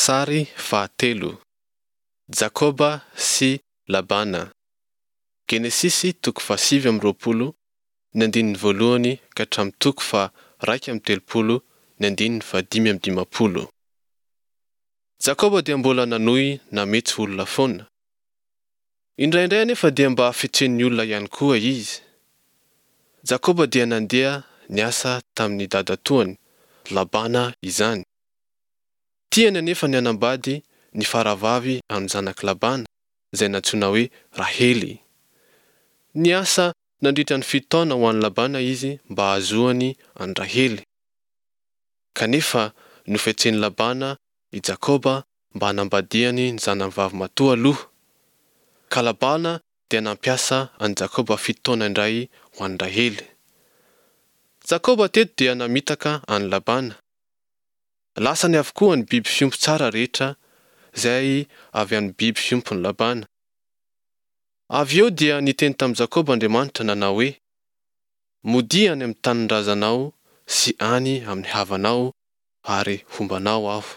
Sary fahatelo, Jakoba sy Labana, Genesisy toko faha-29 ny andininy voalohany ka hatramin'ny toko faha-31 ny andininy faha-55. Jakoba dia mbola nanohy nametso olona foana. Indraindray anefa dia mba fetsen'ny olona ihany koa izy. Jakoba dia nandeha niasa tamin'ny dadatoany, Labana izany. Tiany anefa ny hanambady ny faravavy amin'ny zanak'i Labana, izay nantsoina hoe Rahely. Niasa nandritra ny fito taona ho an'i Labana izy mba hahazoany an'i Rahely. Kanefa nofetsen'i Labana i Jakoba mba hanambadiany ny zanany vavimatoa aloha. Ka Labana dia nampiasa an'i Jakoba fito taona indray ho an'i Rahely. Jakoba teto dia namitaka an'i Labana. Lasany avokoa ny biby fiompy tsara rehetra izay avy amin'ny biby fiompin'i Labana. Avy eo dia niteny tamin'i Jakoba Andriamanitra nanao hoe, Modia any amin'ny tanin-drazanao sy any amin'ny havanao ary homba anao Aho.